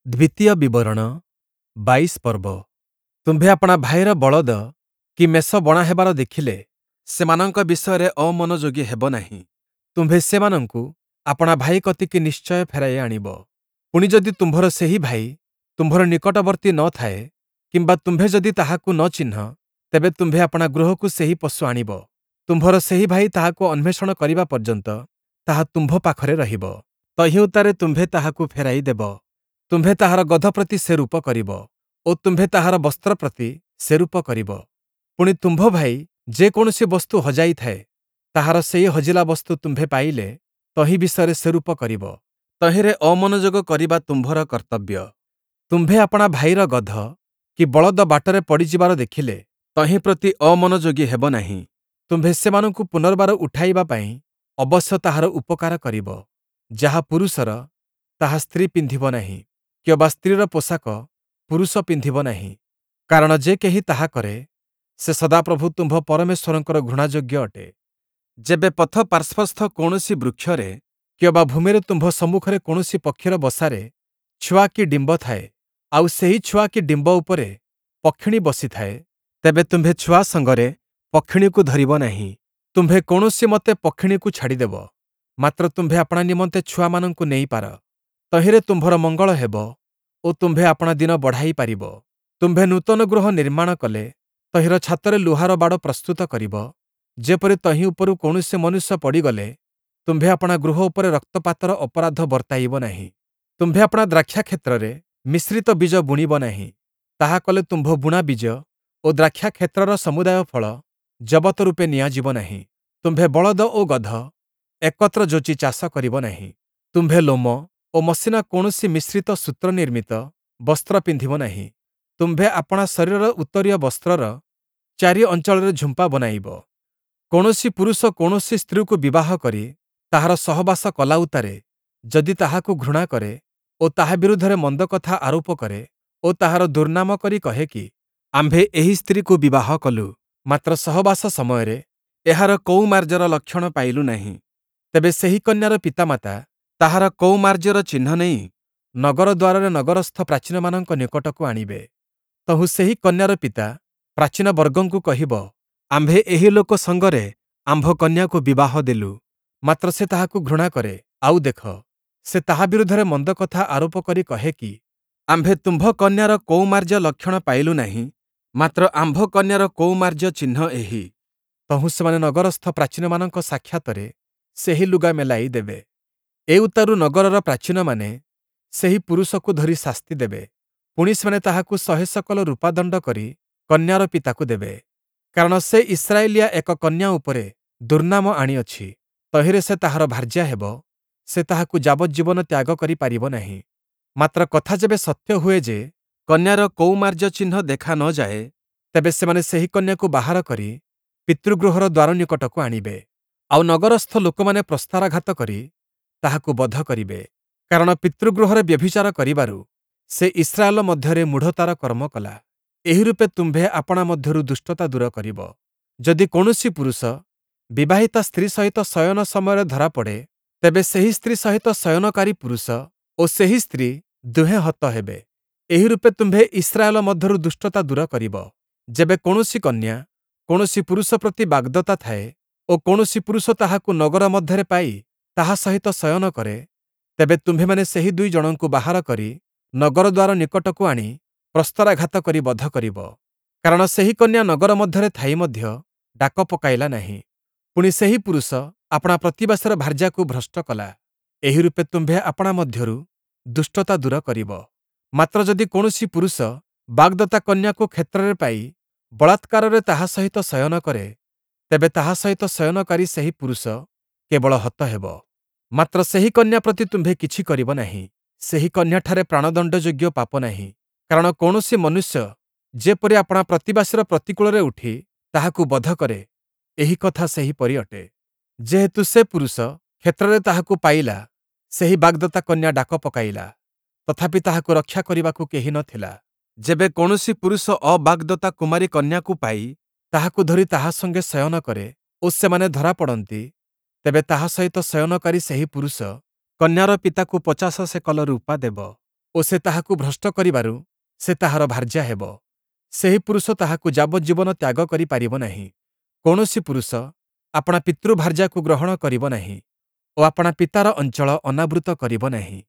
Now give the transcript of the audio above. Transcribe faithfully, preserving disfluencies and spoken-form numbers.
ଦ୍ୱିତୀୟ ବିବରଣ ବାଇଶ ପର୍ବ। ତୁମ୍ଭେ ଆପଣା ଭାଇର ବଳଦ କି ମେଷ ବଣା ହେବାର ଦେଖିଲେ, ସେମାନଙ୍କ ବିଷୟରେ ଅମନୋଯୋଗୀ ହେବ ନାହିଁ। ତୁମ୍ଭେ ସେମାନଙ୍କୁ ଆପଣା ଭାଇ କତିକି ନିଶ୍ଚୟ ଫେରାଇ ଆଣିବ। ପୁଣି ଯଦି ତୁମ୍ଭର ସେହି ଭାଇ ତୁମ୍ଭର ନିକଟବର୍ତ୍ତୀ ନ ଥାଏ, କିମ୍ବା ତୁମ୍ଭେ ଯଦି ତାହାକୁ ନ ଚିହ୍ନ, ତେବେ ତୁମ୍ଭେ ଆପଣା ଗୃହକୁ ସେହି ପଶୁ ଆଣିବ। ତୁମ୍ଭର ସେହି ଭାଇ ତାହାକୁ ଅନ୍ୱେଷଣ କରିବା ପର୍ଯ୍ୟନ୍ତ ତାହା ତୁମ୍ଭ ପାଖରେ ରହିବ। ତହିଁ ଉତ୍ତାରେ ତୁମ୍ଭେ ତାହାକୁ ଫେରାଇ ଦେବ। ତୁମ୍ଭେ ତାହାର ଗଧ ପ୍ରତି ସେରୂପ କରିବ ଓ ତୁମ୍ଭେ ତାହାର ବସ୍ତ୍ର ପ୍ରତି ସେରୂପ କରିବ। ପୁଣି ତୁମ୍ଭ ଭାଇ ଯେକୌଣସି ବସ୍ତୁ ହଜାଇଥାଏ, ତାହାର ସେହି ହଜିଲା ବସ୍ତୁ ତୁମ୍ଭେ ପାଇଲେ ତହିଁ ବିଷୟରେ ସେରୂପ କରିବ। ତହିଁରେ ଅମନୋଯୋଗ କରିବା ତୁମ୍ଭର କର୍ତ୍ତବ୍ୟ। ତୁମ୍ଭେ ଆପଣା ଭାଇର ଗଧ କି ବଳଦ ବାଟରେ ପଡ଼ିଯିବାର ଦେଖିଲେ, ତହିଁ ପ୍ରତି ଅମନୋଯୋଗୀ ହେବ ନାହିଁ। ତୁମ୍ଭେ ସେମାନଙ୍କୁ ପୁନର୍ବାର ଉଠାଇବା ପାଇଁ ଅବଶ୍ୟ ତାହାର ଉପକାର କରିବ। ଯାହା ପୁରୁଷର, ତାହା ସ୍ତ୍ରୀ ପିନ୍ଧିବ ନାହିଁ, କିଅବା ସ୍ତ୍ରୀର ପୋଷାକ ପୁରୁଷ ପିନ୍ଧିବ ନାହିଁ। କାରଣ ଯେ କେହି ତାହା କରେ, ସେ ସଦାପ୍ରଭୁ ତୁମ୍ଭ ପରମେଶ୍ୱରଙ୍କର ଘୃଣାଯୋଗ୍ୟ ଅଟେ। ଯେବେ ପଥ ପାର୍ଶ୍ୱସ୍ଥ କୌଣସି ବୃକ୍ଷରେ କିଅବା ଭୂମିରେ ତୁମ୍ଭ ସମ୍ମୁଖରେ କୌଣସି ପକ୍ଷୀର ବସାରେ ଛୁଆ କି ଡିମ୍ବ ଥାଏ, ଆଉ ସେହି ଛୁଆ କି ଡିମ୍ବ ଉପରେ ପକ୍ଷିଣୀ ବସିଥାଏ, ତେବେ ତୁମ୍ଭେ ଛୁଆ ସଙ୍ଗରେ ପକ୍ଷିଣୀକୁ ଧରିବ ନାହିଁ। ତୁମ୍ଭେ କୌଣସିମତେ ପକ୍ଷିଣୀକୁ ଛାଡ଼ିଦେବ, ମାତ୍ର ତୁମ୍ଭେ ଆପଣା ନିମନ୍ତେ ଛୁଆମାନଙ୍କୁ ନେଇପାର। ତହିଁରେ ତୁମ୍ଭର ମଙ୍ଗଳ ହେବ ଓ ତୁମ୍ଭେ ଆପଣା ଦିନ ବଢ଼ାଇ ପାରିବ। ତୁମ୍ଭେ ନୂତନ ଗୃହ ନିର୍ମାଣ କଲେ, ତହିଁର ଛାତରେ ଲୁହାର ବାଡ଼ ପ୍ରସ୍ତୁତ କରିବ, ଯେପରି ତହିଁ ଉପରୁ କୌଣସି ମନୁଷ୍ୟ ପଡ଼ିଗଲେ ତୁମ୍ଭେ ଆପଣା ଗୃହ ଉପରେ ରକ୍ତପାତର ଅପରାଧ ବର୍ତ୍ତାଇବ ନାହିଁ। ତୁମ୍ଭେ ଆପଣା ଦ୍ରାକ୍ଷାକ୍ଷେତ୍ରରେ ମିଶ୍ରିତ ବୀଜ ବୁଣିବ ନାହିଁ। ତାହା କଲେ ତୁମ୍ଭ ବୁଣା ବୀଜ ଓ ଦ୍ରାକ୍ଷାକ୍ଷେତ୍ରର ସମୁଦାୟ ଫଳ ଜବତ ରୂପେ ନିଆଯିବ ନାହିଁ। ତୁମ୍ଭେ ବଳଦ ଓ ଗଧ ଏକତ୍ର ଯୋଚି ଚାଷ କରିବ ନାହିଁ। ତୁମ୍ଭେ ଲୋମ ଓ ମସିଣା କୌଣସି ମିଶ୍ରିତ ସୂତ୍ର ନିର୍ମିତ ବସ୍ତ୍ର ପିନ୍ଧିବ ନାହିଁ। ତୁମ୍ଭେ ଆପଣା ଶରୀରର ଉତ୍ତରୀୟ ବସ୍ତ୍ରର ଚାରି ଅଞ୍ଚଳରେ ଝୁମ୍ପା ବନାଇବ। କୌଣସି ପୁରୁଷ କୌଣସି ସ୍ତ୍ରୀକୁ ବିବାହ କରି ତାହାର ସହବାସ କଲା ଉତ୍ତାରେ ଯଦି ତାହାକୁ ଘୃଣା କରେ ଓ ତାହା ବିରୁଦ୍ଧରେ ମନ୍ଦ କଥା ଆରୋପ କରେ ଓ ତାହାର ଦୁର୍ନାମ କରି କହେ କି, ଆମ୍ଭେ ଏହି ସ୍ତ୍ରୀକୁ ବିବାହ କଲୁ, ମାତ୍ର ସହବାସ ସମୟରେ ଏହାର କୌମାର୍ଯ୍ୟର ଲକ୍ଷଣ ପାଇଲୁ ନାହିଁ, ତେବେ ସେହି କନ୍ୟାର ପିତାମାତା ତାହାର କୌମାର୍ଯ୍ୟର ଚିହ୍ନ ନେଇ ନଗର ଦ୍ୱାରରେ ନଗରସ୍ଥ ପ୍ରାଚୀନମାନଙ୍କ ନିକଟକୁ ଆଣିବେ। ତହୁଁ ସେହି କନ୍ୟାର ପିତା ପ୍ରାଚୀନବର୍ଗଙ୍କୁ କହିବ, ଆମ୍ଭେ ଏହି ଲୋକ ସଙ୍ଗରେ ଆମ୍ଭ କନ୍ୟାକୁ ବିବାହ ଦେଲୁ, ମାତ୍ର ସେ ତାହାକୁ ଘୃଣା କରେ। ଆଉ ଦେଖ, ସେ ତାହା ବିରୁଦ୍ଧରେ ମନ୍ଦ କଥା ଆରୋପ କରି କହେ କି, ଆମ୍ଭେ ତୁମ୍ଭ କନ୍ୟାର କୌମାର୍ଯ୍ୟ ଲକ୍ଷଣ ପାଇଲୁ ନାହିଁ, ମାତ୍ର ଆମ୍ଭ କନ୍ୟାର କୌମାର୍ଯ୍ୟ ଚିହ୍ନ ଏହି। ତହୁଁ ସେମାନେ ନଗରସ୍ଥ ପ୍ରାଚୀନମାନଙ୍କ ସାକ୍ଷାତରେ ସେହି ଲୁଗା ମେଲାଇ ଦେବେ। ଏଉତ୍ତାରୁ ନଗରର ପ୍ରାଚୀନମାନେ ସେହି ପୁରୁଷକୁ ଧରି ଶାସ୍ତି ଦେବେ। ପୁଣି ସେମାନେ ତାହାକୁ ଶହେ ଶକଲ ରୂପା ଦଣ୍ଡ କରି କନ୍ୟାର ପିତାକୁ ଦେବେ। କାରଣ ସେ ଇସ୍ରାଏଲୀୟା ଏକ କନ୍ୟା ଉପରେ ଦୁର୍ନାମ ଆଣିଅଛି। ତହିଁରେ ସେ ତାହାର ଭାର୍ଯ୍ୟା ହେବ, ସେ ତାହାକୁ ଯାବଜ୍ଜୀବନ ତ୍ୟାଗ କରି ପାରିବ ନାହିଁ। ମାତ୍ର କଥା ଯେବେ ସତ୍ୟ ହୁଏ ଯେ, କନ୍ୟାର କୌମାର୍ଯ୍ୟ ଚିହ୍ନ ଦେଖା ନ ଯାଏ, ତେବେ ସେମାନେ ସେହି କନ୍ୟାକୁ ବାହାର କରି ପିତୃଗୃହର ଦ୍ୱାର ନିକଟକୁ ଆଣିବେ। ଆଉ ନଗରସ୍ଥ ଲୋକମାନେ ପ୍ରସ୍ତରାଘାତ କରି ତାହାକୁ ବଧ କରିବେ। କାରଣ ପିତୃଗୃହରେ ବ୍ୟଭିଚାର କରିବାରୁ ସେ ଇସ୍ରାଏଲ ମଧ୍ୟରେ ମୂଢ଼ତାର କର୍ମ କଲା। ଏହିରୂପେ ତୁମ୍ଭେ ଆପଣା ମଧ୍ୟରୁ ଦୁଷ୍ଟତା ଦୂର କରିବ। ଯଦି କୌଣସି ପୁରୁଷ ବିବାହିତା ସ୍ତ୍ରୀ ସହିତ ଶୟନ ସମୟରେ ଧରାପଡ଼େ, ତେବେ ସେହି ସ୍ତ୍ରୀ ସହିତ ଶୟନକାରୀ ପୁରୁଷ ଓ ସେହି ସ୍ତ୍ରୀ ଦୁହେଁ ହତ ହେବେ। ଏହିରୂପେ ତୁମ୍ଭେ ଇସ୍ରାଏଲ ମଧ୍ୟରୁ ଦୁଷ୍ଟତା ଦୂର କରିବ। ଯେବେ କୌଣସି କନ୍ୟା କୌଣସି ପୁରୁଷ ପ୍ରତି ବାଗ୍ଦତ୍ତା ଥାଏ ଓ କୌଣସି ପୁରୁଷ ତାହାକୁ ନଗର ମଧ୍ୟରେ ପାଇ ତାହା ସହିତ ଶୟନ କରେ, ତେବେ ତୁମ୍ଭେମାନେ ସେହି ଦୁଇ ଜଣଙ୍କୁ ବାହାର କରି ନଗର ଦ୍ୱାର ନିକଟକୁ ଆଣି ପ୍ରସ୍ତରାଘାତ କରି ବଧ କରିବ। କାରଣ ସେହି କନ୍ୟା ନଗର ମଧ୍ୟରେ ଥାଇ ମଧ୍ୟ ଡାକ ପକାଇଲା ନାହିଁ। ପୁଣି ସେହି ପୁରୁଷ ଆପଣା ପ୍ରତିବାସୀର ଭାର୍ଯ୍ୟାକୁ ଭ୍ରଷ୍ଟ କଲା। ଏହିରୂପେ ତୁମ୍ଭେ ଆପଣା ମଧ୍ୟରୁ ଦୁଷ୍ଟତା ଦୂର କରିବ। ମାତ୍ର ଯଦି କୌଣସି ପୁରୁଷ ବାଗ୍ଦତ୍ତା କନ୍ୟାକୁ କ୍ଷେତ୍ରରେ ପାଇ ବଳାତ୍କାରରେ ତାହା ସହିତ ଶୟନ କରେ, ତେବେ ତାହା ସହିତ ଶୟନକାରୀ ସେହି ପୁରୁଷ କେବଳ ହତ ହେବ। ମାତ୍ର ସେହି କନ୍ୟା ପ୍ରତି ତୁମ୍ଭେ କିଛି କରିବ ନାହିଁ। ସେହି କନ୍ୟାଠାରେ ପ୍ରାଣଦଣ୍ଡଯୋଗ୍ୟ ପାପ ନାହିଁ। କାରଣ କୌଣସି ମନୁଷ୍ୟ ଯେପରି ଆପଣା ପ୍ରତିବାସୀର ପ୍ରତିକୂଳରେ ଉଠି ତାହାକୁ ବଧ କରେ, ଏହି କଥା ସେହିପରି ଅଟେ। ଯେହେତୁ ସେ ପୁରୁଷ କ୍ଷେତ୍ରରେ ତାହାକୁ ପାଇଲା, ସେହି ବାଗ୍ଦତ୍ତା କନ୍ୟା ଡାକ ପକାଇଲା, ତଥାପି ତାହାକୁ ରକ୍ଷା କରିବାକୁ କେହି ନ ଥିଲା। ଯେବେ କୌଣସି ପୁରୁଷ ଅବାଗ୍ଦତ୍ତା କୁମାରୀ କନ୍ୟାକୁ ପାଇ ତାହାକୁ ଧରି ତାହା ସଙ୍ଗେ ଶୟନ କରେ ଓ ସେମାନେ ଧରାପଡ଼ନ୍ତି, ତେବେ ତାହା ସହିତ ଶୟନକାରୀ ସେହି ପୁରୁଷ କନ୍ୟାର ପିତାକୁ ପଚାଶ ସେକଲ ରୂପା ଦେବ। ଓ ସେ ତାହାକୁ ଭ୍ରଷ୍ଟ କରିବାରୁ ସେ ତାହାର ଭାର୍ଯ୍ୟା ହେବ। ସେହି ପୁରୁଷ ତାହାକୁ ଯାବଜ୍ଜୀବନ ତ୍ୟାଗ କରି ପାରିବ ନାହିଁ। କୌଣସି ପୁରୁଷ ଆପଣା ପିତୃଭାର୍ଯ୍ୟାକୁ ଗ୍ରହଣ କରିବ ନାହିଁ ଓ ଆପଣା ପିତାର ଅଞ୍ଚଳ ଅନାବୃତ କରିବ ନାହିଁ।